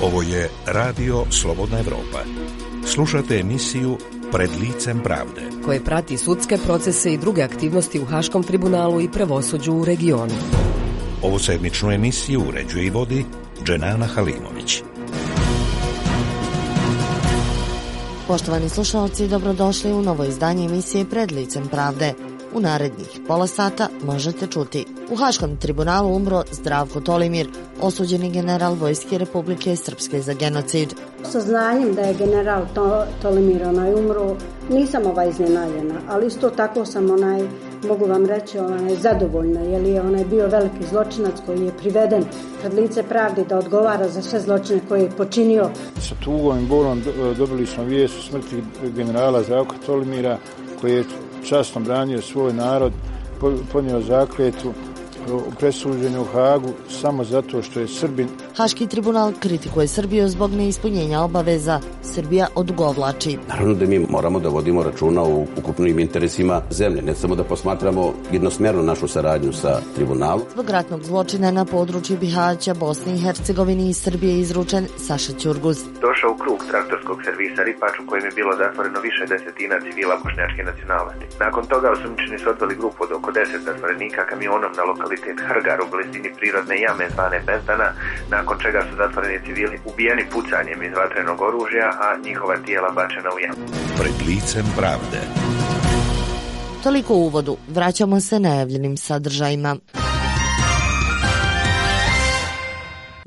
Ovo je Radio Slobodna Evropa. Slušate emisiju Pred licem pravde, koje prati sudske procese i druge aktivnosti u Haškom tribunalu i pravosuđu u regionu. Ovu sedmičnu emisiju uređuje i vodi Dženana Halimović. Poštovani slušalci, dobrodošli u novo izdanje emisije Pred licem pravde. U narednih pola sata možete čuti: u Haškom tribunalu umro Zdravko Tolimir, osuđeni general Vojske Republike Srpske za genocid. Saznanjem da je general Tolimir umro, nisam iznenađena, ali isto tako sam mogu vam reći zadovoljna, jer je bio veliki zločinac koji je priveden pred lice pravde da odgovara za sve zločine koje je počinio. Sa tugom i bolom dobili smo vijest o smrti generala Zdravka Tolimira, koji je časno branio svoj narod, podnio zakletvu, presuđen u Hagu samo zato što je Srbin. Haški tribunal kritikuje Srbiju zbog neispunjenja obaveza. Srbija odugovlači. Naravno da mi moramo da vodimo računa o ukupnim interesima zemlje, ne samo da posmatramo jednosmjerno našu saradnju sa tribunalom. Zbog ratnog zločina na području Bihaća, Bosne i Hercegovine i Srbije izručen Saša Ćurguz. Došao u krug traktorskog servisa Ripač u kojem je bilo zatvoreno više desetina civila bošnjačke nacionalnosti. Nakon toga osumnjičeni su odveli grupu od oko 10 zatvorenika kamionom na lokalitet Hrgar u blizini prirodne jame zvane Bezdana, nakon čega su zatvoreni civili ubijeni pucanjem iz vatrenog oružja, a njihova tijela bačena u jamu. Pred licem pravde. Toliko u uvodu. Vraćamo se najavljenim sadržajima.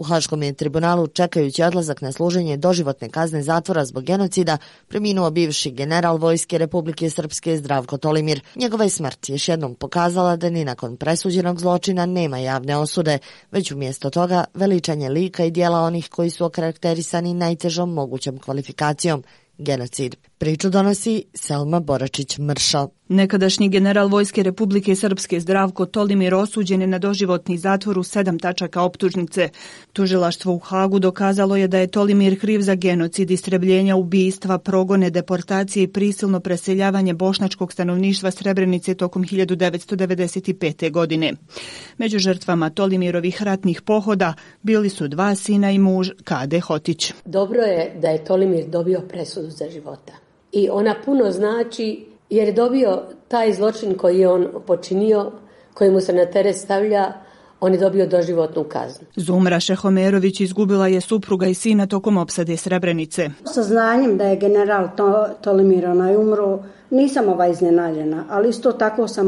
U Haškom je tribunalu, čekajući odlazak na služenje doživotne kazne zatvora zbog genocida, preminuo bivši general Vojske Republike Srpske Zdravko Tolimir. Njegova je smrt još jednom pokazala da ni nakon presuđenog zločina nema javne osude, već umjesto toga veličanje lika i dijela onih koji su okarakterisani najtežom mogućom kvalifikacijom – genocid. Priču donosi Selma Boračić-Mršo. Nekadašnji general Vojske Republike Srpske Zdravko Tolimir osuđen je na doživotni zatvor u 7 tačaka optužnice. Tužilaštvo u Hagu dokazalo je da je Tolimir kriv za genocid, istrebljenja, ubistva, progone, deportacije i prisilno preseljavanje bošnjačkog stanovništva Srebrenice tokom 1995. godine. Među žrtvama Tolimirovih ratnih pohoda bili su 2 sina i muž Kade Hotić. Dobro je da je Tolimir dobio presudu za života. I ona puno znači jer je dobio taj zločin koji je on počinio, koji mu se na teret stavlja, on je dobio doživotnu kaznu. Zumra Šehomerović izgubila je supruga i sina tokom opsade Srebrenice. Saznanjem da je general Tolimir umro, nisam iznenađena, ali isto tako sam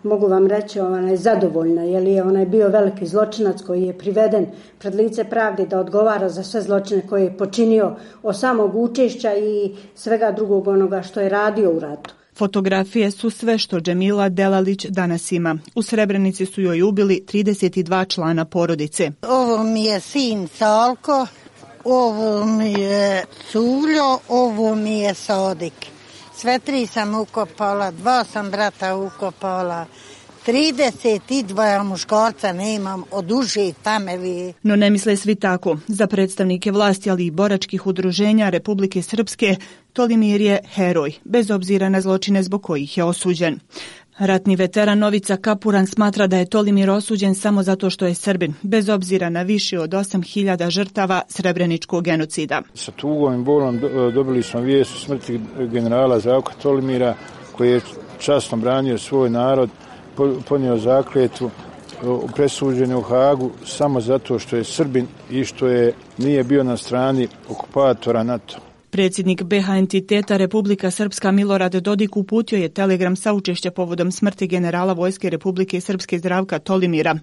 mogu vam reći zadovoljna, jer je bio veliki zločinac koji je priveden pred lice pravde da odgovara za sve zločine koje je počinio, od samog učešća i svega drugog onoga što je radio u ratu. Fotografije su sve što Džemila Delalić danas ima. U Srebrenici su joj ubili 32 člana porodice. Ovo mi je sin Salko, ovo mi je Suljo, ovo mi je Sodik. Sve 3 sam ukopala, 2 sam brata ukopala, 32 muškarca nemam od uže tamevi. No ne misle svi tako. Za predstavnike vlasti, ali i boračkih udruženja Republike Srpske, Tolimir je heroj, bez obzira na zločine zbog kojih je osuđen. Ratni veteran Novica Kapuran smatra da je Tolimir osuđen samo zato što je Srbin, bez obzira na više od 8.000 žrtava srebreničkog genocida. Sa tugom i bolom dobili smo vijest o smrti generala Zdravka Tolimira, koji je časno branio svoj narod, podnio zakletvu, presuđen u Hagu samo zato što je Srbin i što nije bio na strani okupatora NATO. Predsjednik BiH entiteta Republika Srpska Milorad Dodik uputio je telegram saučešća povodom smrti generala Vojske Republike Srpske Zdravka Tolimira.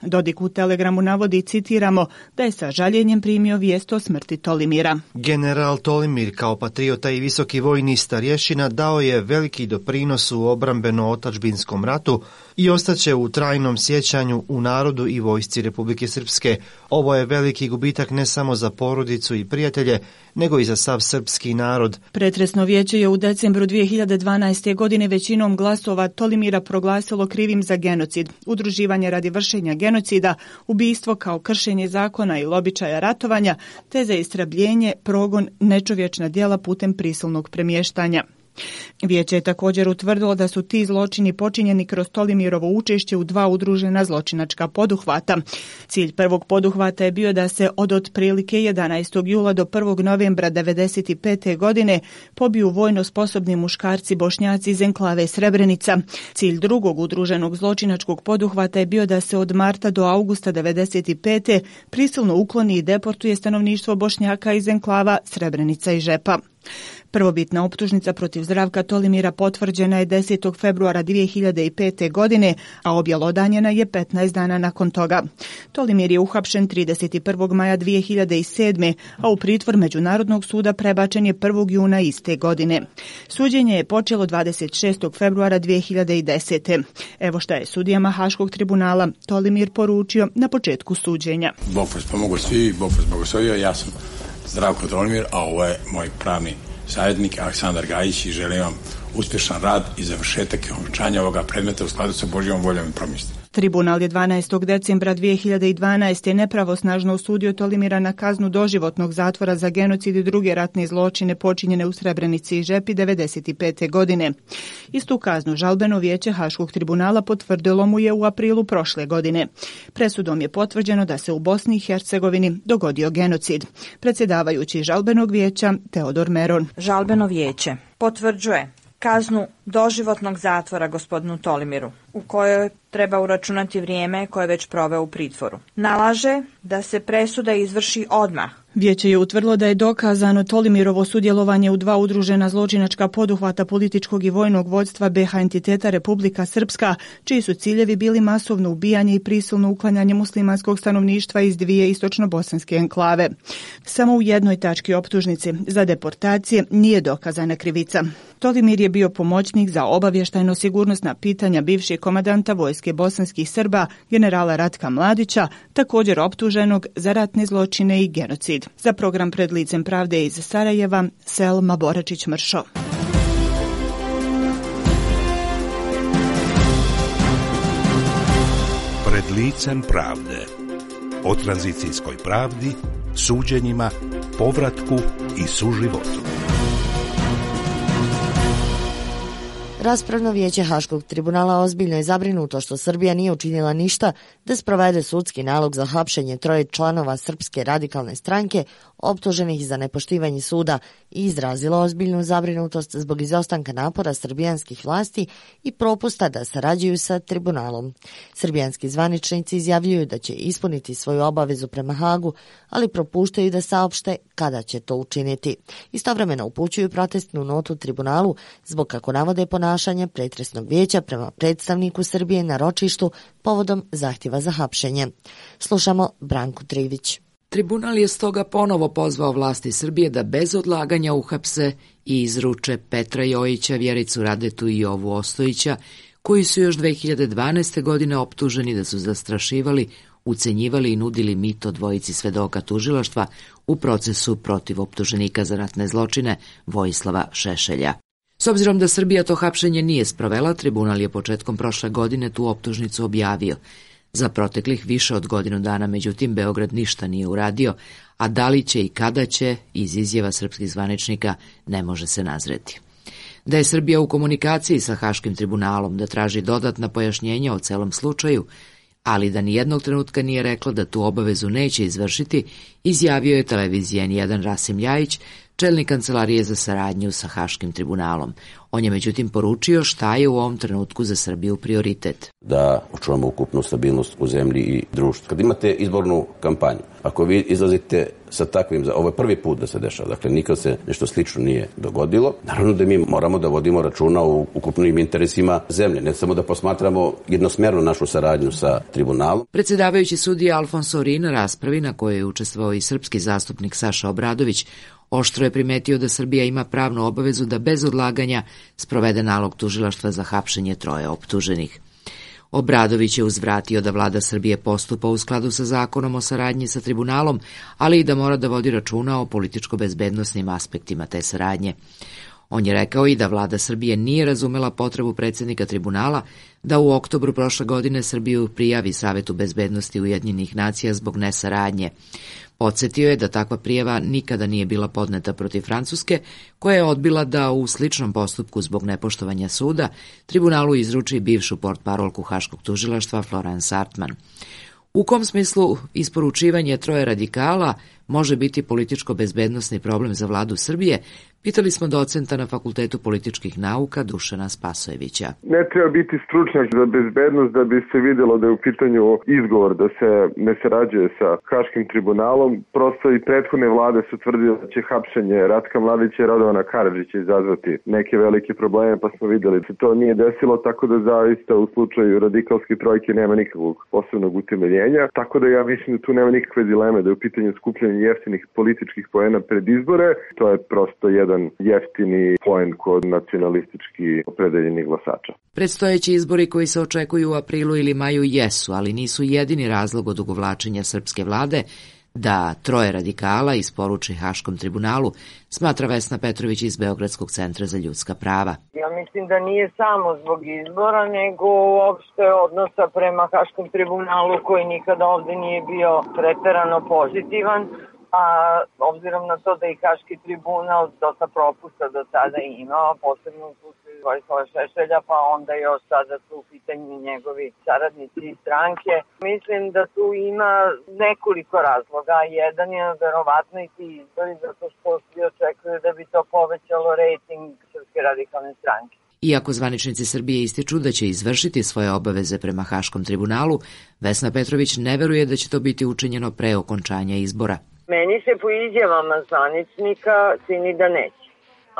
Dodik u telegramu navodi, citiramo, da je sa žaljenjem primio vijest o smrti Tolimira. General Tolimir kao patriota i visoki vojni starješina dao je veliki doprinos u obrambeno-otačbinskom ratu i ostaće u trajnom sjećanju u narodu i vojsci Republike Srpske. Ovo je veliki gubitak ne samo za porodicu i prijatelje, nego i za sav srpski narod. Pretresno vijeće je u decembru 2012. godine većinom glasova Tolimira proglasilo krivim za genocid, udruživanje radi vršenja genocida, ubijstvo kao kršenje zakona i običaja ratovanja, te za istrebljenje, progon, nečovječna djela putem prisilnog premještanja. Vijeće je također utvrdilo da su ti zločini počinjeni kroz Tolimirovo učešće u 2 udružena zločinačka poduhvata. Cilj prvog poduhvata je bio da se od otprilike 11. jula do 1. novembra 1995. godine pobiju vojno sposobni muškarci Bošnjaci iz enklave Srebrenica. Cilj drugog udruženog zločinačkog poduhvata je bio da se od marta do augusta 1995. prisilno ukloni i deportuje stanovništvo Bošnjaka iz enklava Srebrenica i Žepa. Prvobitna optužnica protiv Zdravka Tolimira potvrđena je 10. februara 2005. godine, a objelodanjena je 15 dana nakon toga. Tolimir je uhapšen 31. maja 2007. a u pritvor Međunarodnog suda prebačen je 1. juna iste godine. Suđenje je počelo 26. februara 2010. Evo šta je sudijama Haškog tribunala Tolimir poručio na početku suđenja. Bog vas pomogao svi, Bog vas blagoslovio, ja sam Zdravko Tolimir, a ovo je moj pravni savjetnik Aleksandar Gajić i želim vam uspješan rad i završetak i okončanje ovoga predmeta u skladu sa Božjom voljom i promistima. Tribunal je 12. decembra 2012. nepravosnažno osudio Tolimira na kaznu doživotnog zatvora za genocid i druge ratne zločine počinjene u Srebrenici i Žepi 1995. godine. Istu kaznu žalbeno vijeće Haškog tribunala potvrdilo mu je u aprilu prošle godine. Presudom je potvrđeno da se u Bosni i Hercegovini dogodio genocid. Predsjedavajući žalbenog vijeća Teodor Meron. Žalbeno vijeće potvrđuje kaznu doživotnog zatvora gospodinu Tolimiru, u kojoj treba uračunati vrijeme koje je već proveo u pritvoru. Nalaže da se presuda izvrši odmah. Vijeće je utvrdilo da je dokazano Tolimirovo sudjelovanje u 2 udružena zločinačka poduhvata političkog i vojnog vođstva BiH entiteta Republika Srpska, čiji su ciljevi bili masovno ubijanje i prisilno uklanjanje muslimanskog stanovništva iz 2 istočno-bosanske enklave. Samo u jednoj tački optužnice za deportacije nije dokazana krivica. Tolimir je bio pomoćnik za obavještajno-sigurnosna pitanja bivšeg komandanta vojske bosanskih Srba, generala Ratka Mladića, također optuženog za ratne zločine i genocid. Za program Pred licem pravde iz Sarajeva, Selma Boračić-Mršo. Pred licem pravde. O tranzicijskoj pravdi, suđenjima, povratku i suživotu. Raspravno vijeće Haškog tribunala ozbiljno je zabrinuto što Srbija nije učinila ništa da sprovede sudski nalog za hapšenje 3 članova Srpske radikalne stranke optuženih za nepoštivanje suda i izrazilo ozbiljnu zabrinutost zbog izostanka napora srbijanskih vlasti i propusta da sarađuju sa tribunalom. Srbijanski zvaničnici izjavljuju da će ispuniti svoju obavezu prema Hagu, ali propuštaju da saopšte kada će to učiniti. Istovremeno upućuju protestnu notu tribunalu zbog, kako navode, ponašanja pretresnog vijeća prema predstavniku Srbije na ročištu povodom zahtjeva za hapšenje. Slušamo Branku Trivić. Tribunal je stoga ponovo pozvao vlasti Srbije da bez odlaganja uhapse i izruče Petra Jojića, Vjericu Radetu i Jovu Ostojića, koji su još 2012. godine optuženi da su zastrašivali, ucenjivali i nudili mito dvojici svedoka tužilaštva u procesu protiv optuženika za ratne zločine Vojislava Šešelja. S obzirom da Srbija to hapšenje nije sprovela, tribunal je početkom prošle godine tu optužnicu objavio. Za proteklih više od godinu dana, međutim, Beograd ništa nije uradio, a da li će i kada će, iz izjava srpskih zvaničnika, ne može se nazreti. Da je Srbija u komunikaciji sa Haškim tribunalom, da traži dodatna pojašnjenja o celom slučaju, ali da nijednog trenutka nije rekla da tu obavezu neće izvršiti, izjavio je televizija N1 Rasim Ljajić, čelnik kancelarije za saradnju sa Haškim tribunalom. On je međutim poručio šta je u ovom trenutku za Srbiju prioritet. Da očuvamo ukupnu stabilnost u zemlji i društvu. Kad imate izbornu kampanju, ako vi izlazite sa takvim, ovo je prvi put da se dešava, dakle nikad se nešto slično nije dogodilo, naravno da mi moramo da vodimo računa o ukupnim interesima zemlje, ne samo da posmatramo jednosmjerno našu saradnju sa tribunalom. Predsjedavajući sudija Alfonso Ori na raspravi na kojoj je učestvovao i srpski zastupnik Saša Obradović, oštro je primetio da Srbija ima pravnu obavezu da bez odlaganja sprovede nalog tužilaštva za hapšenje 3 optuženih. Obradović je uzvratio da vlada Srbije postupa u skladu sa zakonom o saradnji sa tribunalom, ali i da mora da vodi računa o političko-bezbednosnim aspektima te saradnje. On je rekao i da vlada Srbije nije razumela potrebu predsjednika tribunala da u oktobru prošle godine Srbiju prijavi Savetu bezbednosti Ujedinjenih nacija zbog nesaradnje. Podsjetio je da takva prijava nikada nije bila podneta protiv Francuske, koja je odbila da u sličnom postupku zbog nepoštovanja suda tribunalu izruči bivšu portparolku Haškog tužilaštva Florence Artman. U kom smislu isporučivanje troje radikala može biti političko-bezbednosni problem za vladu Srbije, pitali smo docenta na Fakultetu političkih nauka Dušana Spasojevića. Ne treba biti stručnjak za bezbednost da bi se vidjelo da je u pitanju izgovor da se ne sarađuje sa Haškim tribunalom. Prosto i prethodne vlade su tvrdile da će hapšenje Ratka Mladića i Radovana Karadžića izazvati neke velike probleme, pa smo vidjeli da se to nije desilo, tako da zaista u slučaju radikalske trojke nema nikakvog posebnog utemeljenja. Tako da ja mislim da tu nema nikakve dileme da je u pitanju skupljanja jeftinih političkih poena pred izbore. To je prosto jedan jeftini poen kod nacionalistički opredeljenih glasača. Predstojeći izbori koji se očekuju u aprilu ili maju jesu, ali nisu jedini razlog odugovlačenja srpske vlade da troje radikala isporuči Haškom tribunalu, smatra Vesna Petrović iz Beogradskog centra za ljudska prava. Ja mislim da nije samo zbog izbora, nego uopšte odnosa prema Haškom tribunalu koji nikada ovde nije bio preterano pozitivan, a obzirom na to da i Haški tribunal dosta propusta do sada imao, posebno u slučaju Vojislava Šešelja, pa onda još sada su u pitanju njegovi saradnici i stranke. Mislim da tu ima nekoliko razloga. Jedan je verovatno i ti izbori, zato što svi očekuju da bi to povećalo rejting Srpske radikalne stranke. Iako zvaničnici Srbije ističu da će izvršiti svoje obaveze prema Haškom tribunalu, Vesna Petrović ne veruje da će to biti učinjeno pre okončanja izbora. Meni se po izjavama zvaničnika čini da neće,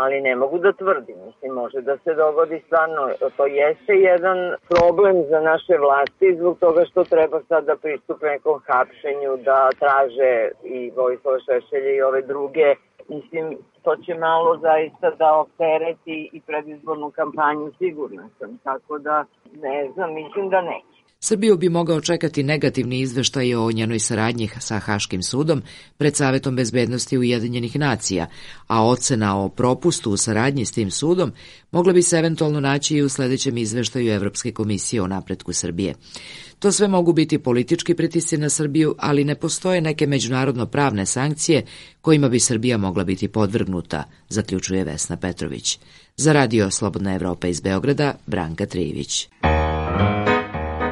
ali ne mogu da tvrdim. Mislim, može da se dogodi stvarno. To jeste jedan problem za naše vlasti zbog toga što treba sad da pristupe nekom hapšenju, da traže i Vojislava Šešelja i ove druge. Mislim, to će malo zaista da optereti i predizbornu kampanju, sigurno sam. Tako da, ne znam, mislim da neće. Srbiju bi mogao čekati negativni izveštaj o njenoj saradnji sa Haškim sudom pred Savetom bezbednosti Ujedinjenih nacija, a ocena o propustu u saradnji s tim sudom mogla bi se eventualno naći i u sledećem izveštaju Evropske komisije o napretku Srbije. To sve mogu biti politički pritisci na Srbiju, ali ne postoje neke međunarodno-pravne sankcije kojima bi Srbija mogla biti podvrgnuta, zaključuje Vesna Petrović. Za Radio Slobodna Evropa iz Beograda, Branka Trijević.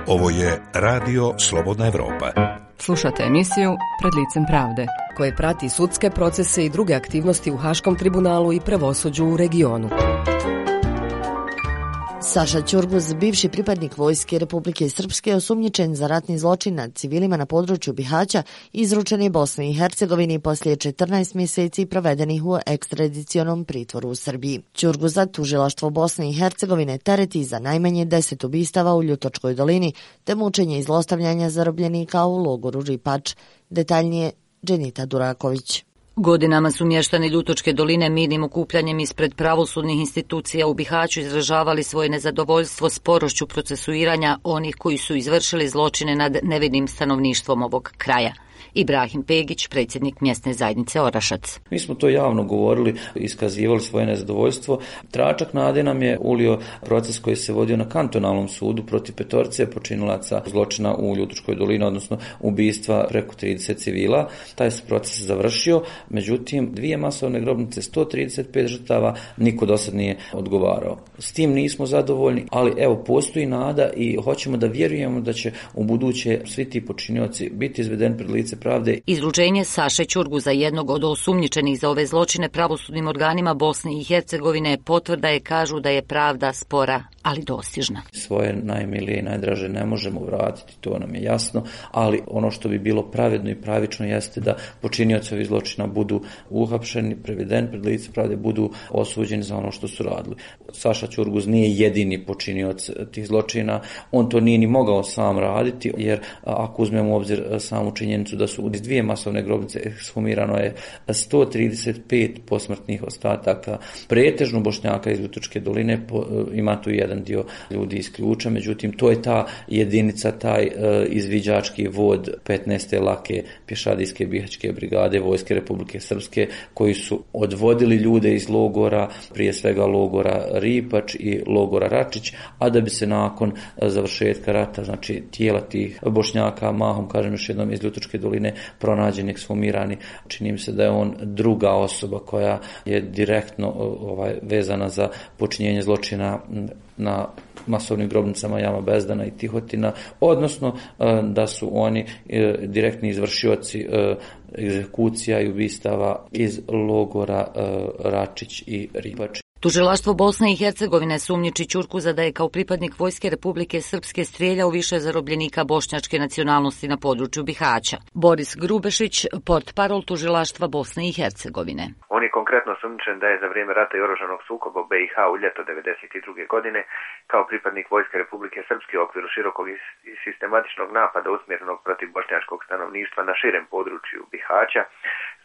Ovo je Radio Slobodna Evropa. Slušate emisiju Pred licem pravde, koje prati sudske procese i druge aktivnosti u Haškom tribunalu i pravosuđu u regionu. Saša Ćurguz, bivši pripadnik Vojske Republike Srpske, osumnjičen za ratni zločin nad civilima na području Bihaća, izručen je Bosni i Hercegovini poslije 14 mjeseci provedenih u ekstradicionom pritvoru u Srbiji. Ćurguza tužilaštvo Bosne i Hercegovine tereti za najmanje 10 ubistava u Ljutočkoj dolini, te mučenje i zlostavljanja zarobljenika u logoru Ripač. Detaljnije Dženita Duraković. Godinama su mještani Ljutočke doline mirnim okupljanjem ispred pravosudnih institucija u Bihaću izražavali svoje nezadovoljstvo sporošću procesuiranja onih koji su izvršili zločine nad nevinim stanovništvom ovog kraja. Ibrahim Pegić, predsjednik mjesne zajednice Orašac. Mi smo to javno govorili, iskazivali svoje nezadovoljstvo. Tračak nade nam je ulio proces koji se vodio na kantonalnom sudu protiv petorice počinilaca zločina u Ljutočkoj dolini, odnosno ubistva preko 30 civila. Taj se proces završio, međutim 2 masovne grobnice, 135 žrtava, niko do sad nije odgovarao. S tim nismo zadovoljni, ali evo postoji nada i hoćemo da vjerujemo da će u buduće svi ti počinioci biti izvedeni pred lice pravde. Izručenje Saše Ćurguza, jednog od osumnjičenih za ove zločine pravosudnim organima Bosne i Hercegovine, potvrda je, kažu da je pravda spora, ali dostižna. Svoje najmilije i najdraže ne možemo vratiti, to nam je jasno, ali ono što bi bilo pravedno i pravično jeste da počinioci ovih zločina budu uhapšeni, prevedeni pred lice pravde, budu osuđeni za ono što su radili. Saša Ćurguz nije jedini počinioc tih zločina, on to nije ni mogao sam raditi, jer ako uzmemo u obzir samu činjenicu da su iz 2 masovne grobnice ekshumirano je 135 posmrtnih ostataka, pretežno Bošnjaka iz Ljutočke doline, ima tu jedan dio ljudi iz Ključa, međutim to je ta jedinica, taj izviđački vod 15. lake pješadijske bihaćke brigade Vojske Republike Srpske, koji su odvodili ljude iz logora, prije svega logora Ripač i logora Račić, a da bi se nakon završetka rata, znači tijela tih Bošnjaka, mahom, kažem još jednom, iz Ljutočke doline pronađeni, ekshumirani. Čini mi se da je on druga osoba koja je direktno vezana za počinjenje zločina na masovnim grobnicama Jama Bezdana i Tihotina, odnosno da su oni direktni izvršioci egzekucija i ubistava iz logora Račić i Ripač. Tužilaštvo Bosne i Hercegovine sumnjiči Ćurkuza da je kao pripadnik Vojske Republike Srpske strijeljao više zarobljenika bošnjačke nacionalnosti na području Bihaća. Boris Grubešić, portparol Tužilaštva Bosne i Hercegovine. On je konkretno sumnjičen da je za vrijeme rata i oružanog sukoba u BiH u ljeto 1992. godine kao pripadnik Vojske Republike Srpske u okviru širokog i sistematičnog napada usmjerenog protiv bošnjačkog stanovništva na širem području Bihaća,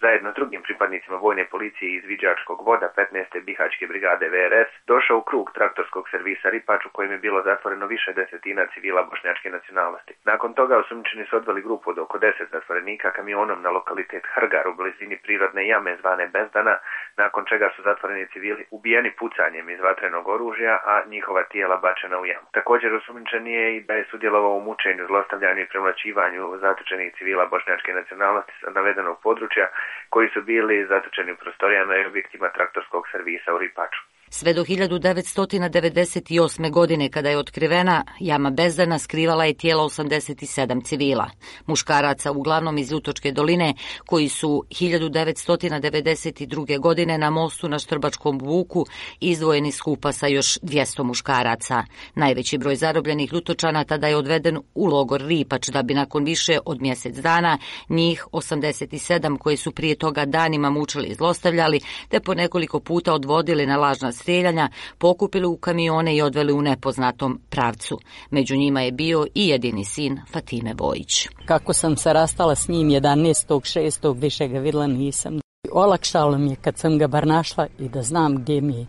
zajedno s drugim pripadnicima vojne policije i izviđačkog voda 15. Bihaćke brigade VRS, došao u krug traktorskog servisa Ripač u kojem je bilo zatvoreno više desetina civila bošnjačke nacionalnosti. Nakon toga osumnjičeni su odveli grupu od oko 10 zatvorenika kamionom na lokalitet Hrgar u blizini prirodne jame zvane Bezdana, nakon čega su zatvoreni civili ubijeni pucanjem iz vatrenog oružja, a njihova tijela bačena u jamu. Također osumnjičen je i da je sudjelovao u mučenju, zlostavljanju i premlaćivanju zatočenih civila bošnjačke nacionalnosti sa navedenog područja, koji su bili zatočeni u prostorijama i objektima traktorskog servisa u Ripaču. Sve do 1998. godine, kada je otkrivena, jama Bezdana skrivala je tijela 87 civila. Muškaraca, uglavnom iz Ljutočke doline, koji su 1992. godine na mostu na Štrbačkom vuku izdvojeni skupa sa još 200 muškaraca. Najveći broj zarobljenih Ljutočana tada je odveden u logor Ripač, da bi nakon više od mjesec dana njih 87 koji su prije toga danima mučili i zlostavljali, te po nekoliko puta odvodili na lažna strijeljanja, pokupili u kamione i odveli u nepoznatom pravcu. Među njima je bio i jedini sin Fatime Bojić. Kako sam se rastala s njim 11.6. više ga vidjela nisam. Olakšalo mi je kad sam ga bar našla i da znam gdje mi je,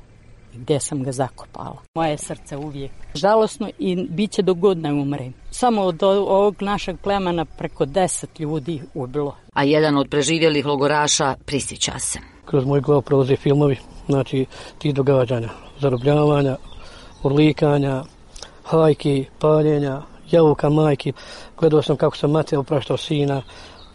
gdje sam ga zakopala. Moje srce uvijek žalosno i bit će dok god ne umrem. Samo od ovog našeg plemena preko 10 ljudi ubilo. A jedan od preživjelih logoraša prisjeća se. Kroz moj glavu prolaze filmovi, znači ti događanja, zarobljavanja, urlikanja, hajki, paljenja, javuka majki. Gledao sam kako sam mater opraštao sina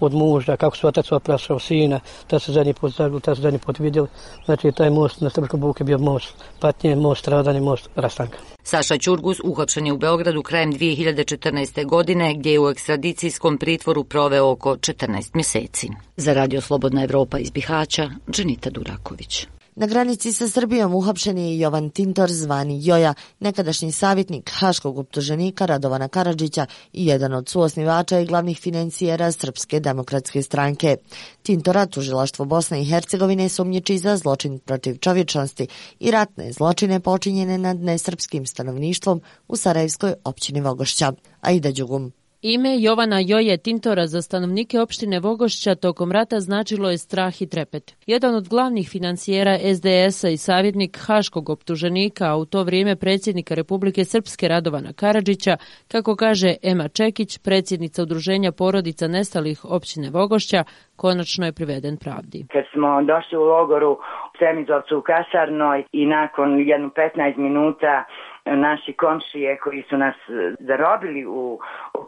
od muža, kako su otac opraštao sina, da se zadnji put zagledali, da se zadnji put vidjeli. Znači taj most na Štrbačkom vuku je bio most patnje, most stradanja, most rastanka. Saša Ćurguz uhapšen je u Beogradu krajem 2014. godine, gdje je u ekstradicijskom pritvoru proveo oko 14 mjeseci. Za Radio Slobodna Evropa iz Bihaća, Dženita Duraković. Na granici sa Srbijom uhapšen je Jovan Tintor zvani Joja, nekadašnji savjetnik haškog optuženika Radovana Karadžića i jedan od suosnivača i glavnih financijera Srpske demokratske stranke. Tintora tužilaštvo Bosne i Hercegovine sumnjiči za zločin protiv čovječnosti i ratne zločine počinjene nad nesrpskim stanovništvom u Sarajevskoj općini Vogošća. Aida Đugum. Ime Jovana Joje Tintora za stanovnike opštine Vogošća tokom rata značilo je strah i trepet. Jedan od glavnih financijera SDS-a i savjetnik haškog optuženika, a u to vrijeme predsjednika Republike Srpske Radovana Karadžića, kako kaže Ema Čekić, predsjednica udruženja porodica nestalih općine Vogošća, konačno je priveden pravdi. Kad smo došli u logoru u Semizovcu u kasarnoj i nakon jedno 15 minuta naši komšije koji su nas zarobili u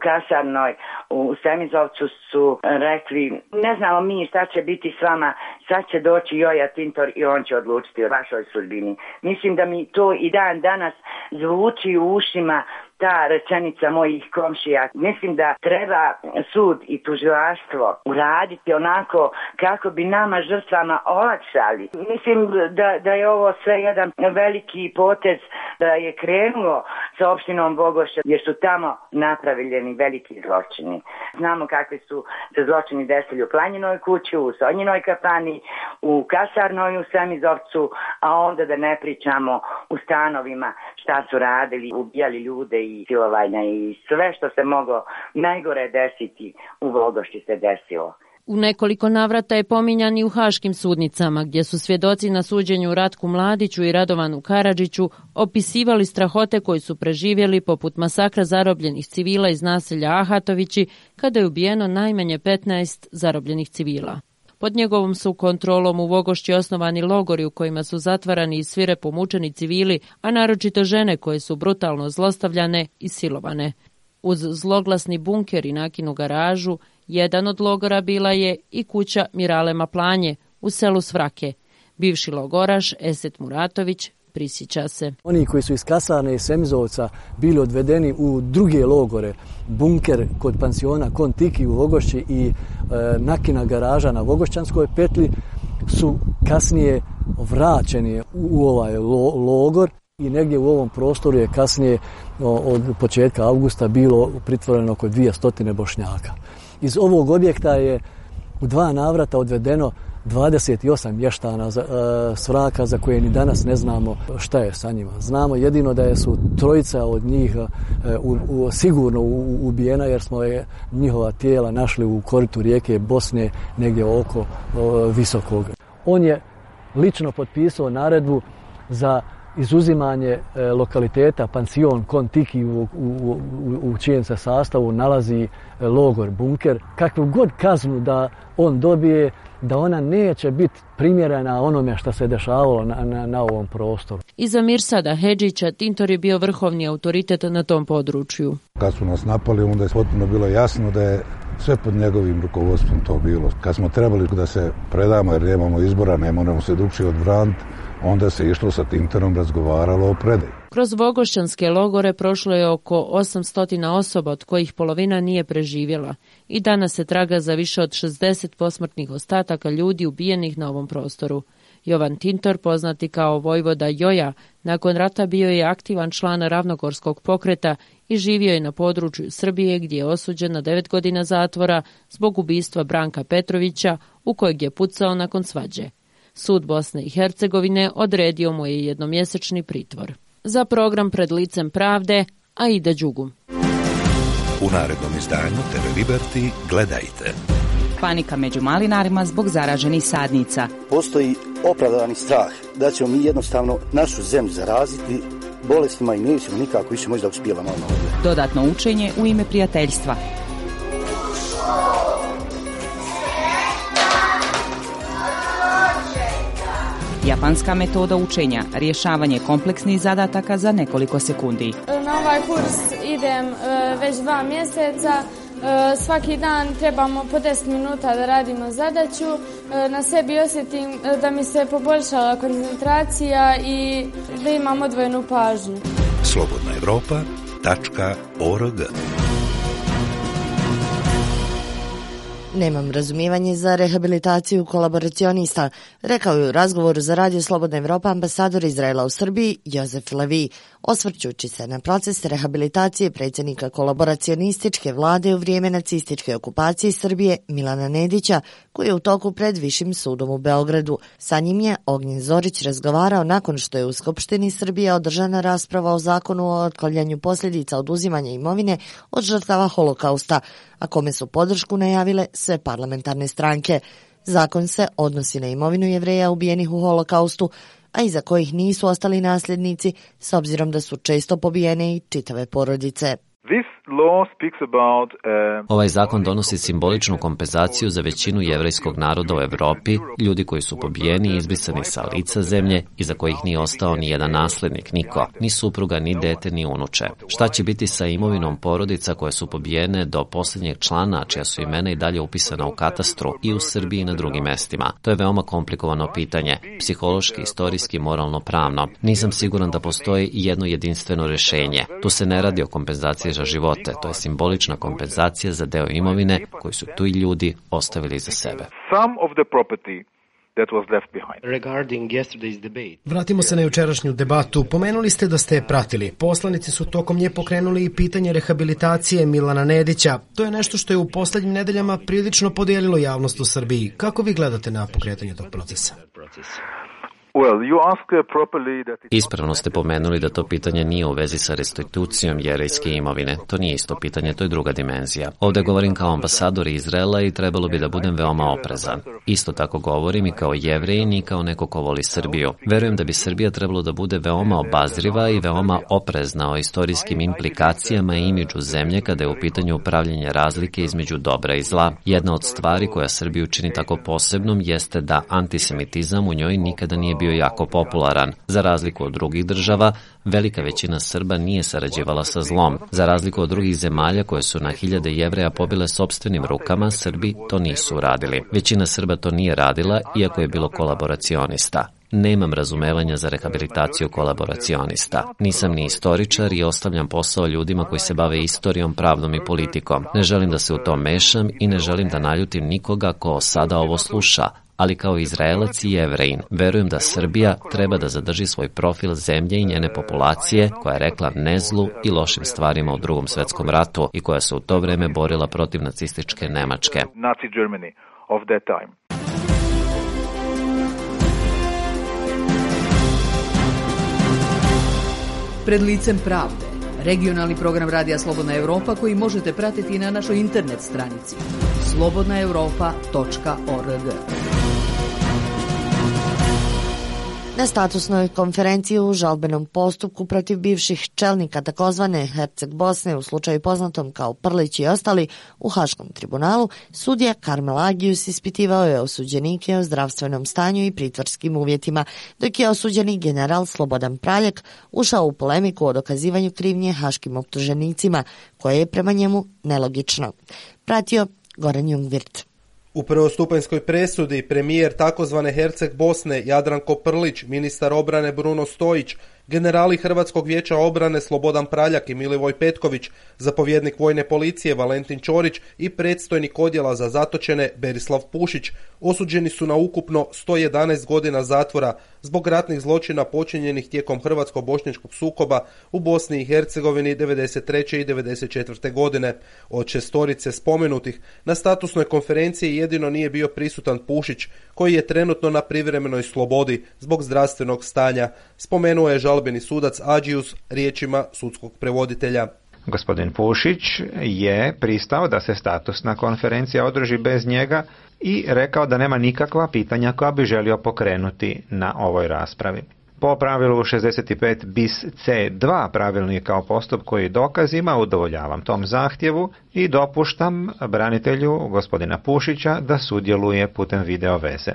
kasarnoj u Semizovcu su rekli, ne znamo mi šta će biti s vama, sad će doći Joja Tintor i on će odlučiti o vašoj sudbini. Mislim da mi to i dan danas zvuči u ušima ta rečenica mojih komšija. Mislim da treba sud i tužilaštvo uraditi onako kako bi nama žrtvama olakšali. Mislim da je ovo sve jedan veliki potez da je krenulo sa opštinom Vogošća jer su tamo napravljeni organizovani veliki zločini. Znamo kakvi su se zločini desili u Planjinoj kući, u Sonjinoj kafani, u Kasarnoj u Semizovcu, a onda da ne pričamo u stanovima šta su radili, ubijali ljude i silovanja i sve što se moglo najgore desiti u Vogošći se desilo. U nekoliko navrata je pominjan i u haškim sudnicama, gdje su svjedoci na suđenju Ratku Mladiću i Radovanu Karadžiću opisivali strahote koji su preživjeli, poput masakra zarobljenih civila iz naselja Ahatovići, kada je ubijeno najmanje 15 zarobljenih civila. Pod njegovom su kontrolom u Vogošći osnovani logori u kojima su zatvarani i svirepo mučeni civili, a naročito žene koje su brutalno zlostavljane i silovane. Uz zloglasni bunker i nakinu garažu, jedan od logora bila je i kuća Mirale Maplanje u selu Svrake. Bivši logoraš Eset Muratović prisjeća se. Oni koji su iz Kasarne i Semizovca bili odvedeni u druge logore, bunker kod pansiona Kontiki u Vogošći i nakina garaža na Vogošćanskoj petlji, su kasnije vraćeni u ovaj logor. I negdje u ovom prostoru je kasnije od početka avgusta bilo pritvoreno oko 200 Bošnjaka. Iz ovog objekta je u 2 navrata odvedeno 28 mještana Svraka za koje ni danas ne znamo šta je sa njima. Znamo jedino da su 3 od njih sigurno ubijena jer smo njihova tijela našli u koritu rijeke Bosne negdje oko Visokog. On je lično potpisao naredbu za izuzimanje lokaliteta pansion Kontiki u čijem se sastavu nalazi logor bunker. Kakvu god kaznu da on dobije, da ona neće biti primjerena onome što se dešavalo na ovom prostoru. Iza Mirsada Hedžića Tintor je bio vrhovni autoritet na tom području. Kad su nas napali, onda je potpuno bilo jasno da je sve pod njegovim rukovodstvom to bilo. Kad smo trebali da se predamo jer nemamo izbora, ne moramo se drugčije odbraniti, onda se išlo sa Tintorom, razgovaralo o predaji. Kroz vogošćanske logore prošlo je oko 800 osoba, od kojih polovina nije preživjela. I danas se traga za više od 60 posmrtnih ostataka ljudi ubijenih na ovom prostoru. Jovan Tintor, poznati kao vojvoda Joja, nakon rata bio je aktivan član Ravnogorskog pokreta i živio je na području Srbije gdje je osuđen na 9 godina zatvora zbog ubistva Branka Petrovića u kojeg je pucao nakon svađe. Sud Bosne i Hercegovine odredio mu je jednomjesečni pritvor. Za program Pred licem pravde, Aida Đugu. U narednom izdanju TV Liberty gledajte. Panika među malinarima zbog zaraženih sadnica. Postoji opravdani strah da ćemo mi jednostavno našu zemlju zaraziti bolestima i nećemo nikako više možda uspjela malo ovdje. Dodatno učenje u ime prijateljstva. Japanska metoda učenja, rješavanje kompleksnih zadataka za nekoliko sekundi. Na ovaj kurs idem već 2 mjeseca. Svaki dan trebamo po 10 minuta da radimo zadaću. Na sebi osjetim da mi se poboljšala koncentracija i da imam odvojenu pažnju. slobodnaevropa.org. Nemam razumijevanje za rehabilitaciju kolaboracionista, rekao je u razgovoru za Radio Slobodna Evropa ambasador Izraela u Srbiji Jozef Levi, osvrćući se na proces rehabilitacije predsjednika kolaboracionističke vlade u vrijeme nacističke okupacije Srbije Milana Nedića, koji je u toku pred Višim sudom u Beogradu. Sa njim je Ognjen Zorić razgovarao nakon što je u Skupštini Srbije održana rasprava o zakonu o otklanjanju posljedica oduzimanja imovine od žrtava holokausta, a kome su podršku najavile sve parlamentarne stranke. Zakon se odnosi na imovinu Jevreja ubijenih u holokaustu, a iza kojih nisu ostali nasljednici, s obzirom da su često pobijene i čitave porodice. Ovaj zakon donosi simboličnu kompenzaciju za većinu jevrejskog naroda u Europi, ljudi koji su pobijeni i izbrisani sa lica zemlje i za kojih nije ostao ni jedan nasljednik, niko, ni supruga, ni dete, ni unuče. Šta će biti sa imovinom porodica koje su pobijene do posljednjeg člana, čija su imena i dalje upisana u katastru i u Srbiji i na drugim mestima? To je veoma komplikovano pitanje, psihološki, istorijski, moralno, pravno. Nisam siguran da postoji jedno jedinstveno rješenje. Tu se ne radi o kompenzaciji za živote, to je simbolična kompenzacija za deo imovine koji su tu i ljudi ostavili iza sebe. Vratimo se na jučerašnju debatu. Pomenuli ste da ste je pratili. Poslanici su tokom nje pokrenuli i pitanje rehabilitacije Milana Nedića. To je nešto što je u posljednjim nedeljama prilično podijelilo javnost u Srbiji. Kako vi gledate na pokretanje tog procesa? Ispravno ste pomenuli da to pitanje nije u vezi sa restitucijom jevrejske imovine. To nije isto pitanje, to je druga dimenzija. Ovdje govorim kao ambasador Izraela i trebalo bi da budem veoma oprezan. Isto tako govorim i kao Jevrejin i kao neko ko voli Srbiju. Verujem da bi Srbija trebalo da bude veoma obazriva i veoma oprezna o istorijskim implikacijama i imidžu zemlje kada je u pitanju upravljanje razlike između dobra i zla. Jedna od stvari koja Srbiju čini tako posebnom jeste da antisemitizam u njoj nikada nije bio jako popularan. Za razliku od drugih država, velika većina Srba nije sarađivala sa zlom. Za razliku od drugih zemalja koje su na hiljade Jevreja pobile sopstvenim rukama, Srbi to nisu uradili. Većina Srba to nije radila, iako je bilo kolaboracionista. Nemam razumevanja za rehabilitaciju kolaboracionista. Nisam ni istoričar i ostavljam posao ljudima koji se bave istorijom, pravdom i politikom. Ne želim da se u to mešam i ne želim da naljutim nikoga ko sada ovo sluša, ali kao Izraelac i Jevrejin, verujem da Srbija treba da zadrži svoj profil zemlje i njene populacije koja je rekla ne zlu i lošim stvarima u Drugom svetskom ratu i koja se u to vreme borila protiv nacističke Nemačke. Pred licem pravde, regionalni program Radija Slobodna Evropa koji možete pratiti na našoj internet stranici slobodnaevropa.org. Na statusnoj konferenciji u žalbenom postupku protiv bivših čelnika takozvane Herceg Bosne u slučaju poznatom kao Prlić i ostali u Haškom tribunalu, sudija Karmel Agius ispitivao je osuđenike o zdravstvenom stanju i pritvorskim uvjetima, dok je osuđeni general Slobodan Praljak ušao u polemiku o dokazivanju krivnje haškim optuženicima, koje je prema njemu nelogično. Pratio Goran Jungwirth. U prvostupanjskoj presudi premijer takozvane Herceg Bosne Jadranko Prlić, ministar obrane Bruno Stojić, generali Hrvatskog vijeća obrane Slobodan Praljak i Milivoj Petković, zapovjednik vojne policije Valentin Ćorić i predstojnik odjela za zatočene Berislav Pušić osuđeni su na ukupno 111 godina zatvora zbog ratnih zločina počinjenih tijekom hrvatsko-bošnjačkog sukoba u Bosni i Hercegovini 93. i 94. godine. Od šestorice spomenutih na statusnoj konferenciji jedino nije bio prisutan Pušić, koji je trenutno na privremenoj slobodi zbog zdravstvenog stanja, spomenuo je žalbeni sudac Agius riječima sudskog prevoditelja. Gospodin Pušić je pristao da se statusna konferencija održi bez njega i rekao da nema nikakva pitanja koja bi želio pokrenuti na ovoj raspravi. Po pravilu 65 bis C2 pravilnika o postupku i dokazima udovoljavam tom zahtjevu i dopuštam branitelju gospodina Pušića da sudjeluje putem video veze.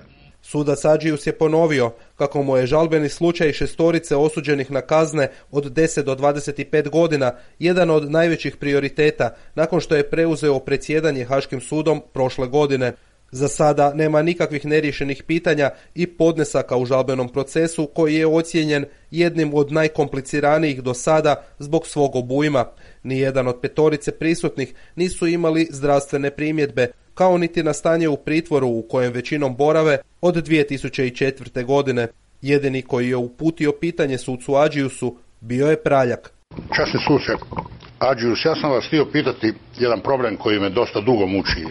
Sudac Agius je ponovio kako mu je žalbeni slučaj šestorice osuđenih na kazne od 10 do 25 godina jedan od najvećih prioriteta nakon što je preuzeo predsjedanje Haškim sudom prošle godine. Za sada nema nikakvih neriješenih pitanja i podnesaka u žalbenom procesu koji je ocijenjen jednim od najkompliciranijih do sada zbog svog obujma. Nijedan od petorice prisutnih nisu imali zdravstvene primjedbe, kao niti na stanje u pritvoru u kojem većinom borave od 2004. godine. Jedini koji je uputio pitanje sucu Agiusu bio je Praljak. Časni suce Agius, ja sam vas htio pitati jedan problem koji me dosta dugo muči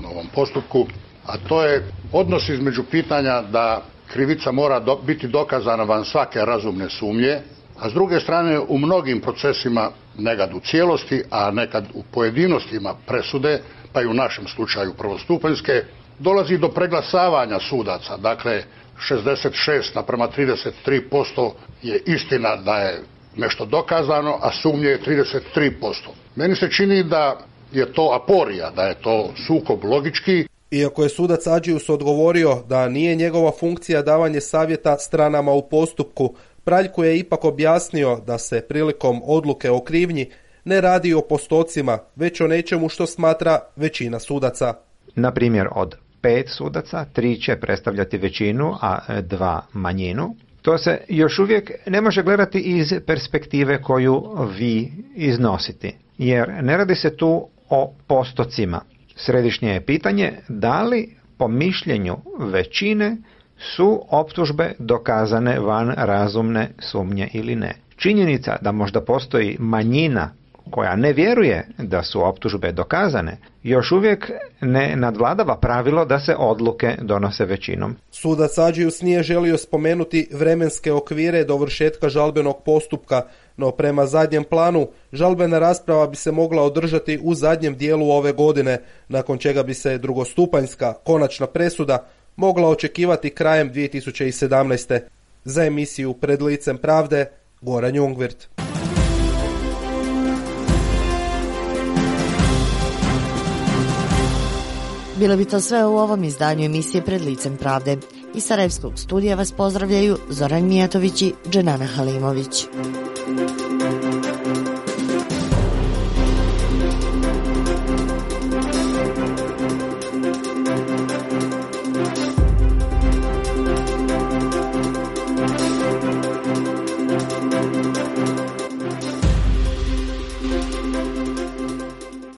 na ovom postupku, a to je odnos između pitanja da krivica mora biti dokazana van svake razumne sumnje, a s druge strane u mnogim procesima, nekad u cijelosti, a nekad u pojedinostima presude, pa i u našem slučaju prvostupanjske, dolazi do preglasavanja sudaca. Dakle, 66:33% je istina da je nešto dokazano, a sumnje je 33%. Meni se čini da je to aporija, da je to sukob logički. Iako je sudac Agius odgovorio da nije njegova funkcija davanje savjeta stranama u postupku, Praljku je ipak objasnio da se prilikom odluke o krivnji ne radi o postocima, već o nečemu što smatra većina sudaca. Na primjer, od 5 sudaca, 3 će predstavljati većinu, a 2 manjinu. To se još uvijek ne može gledati iz perspektive koju vi iznosite, jer ne radi se tu o postocima. Središnje je pitanje da li po mišljenju većine su optužbe dokazane van razumne sumnje ili ne. Činjenica da možda postoji manjina koja ne vjeruje da su optužbe dokazane, još uvijek ne nadvladava pravilo da se odluke donose većinom. Sudac Adžius nije želio spomenuti vremenske okvire dovršetka žalbenog postupka, no prema zadnjem planu žalbena rasprava bi se mogla održati u zadnjem dijelu ove godine, nakon čega bi se drugostupanjska konačna presuda mogla očekivati krajem 2017. Za emisiju Pred licem pravde, Goran Jungwirth. Bilo bi to sve u ovom izdanju emisije Pred licem pravde. Iz Sarajevskog studija vas pozdravljaju Zoran Mijatović i Dženana Halimović.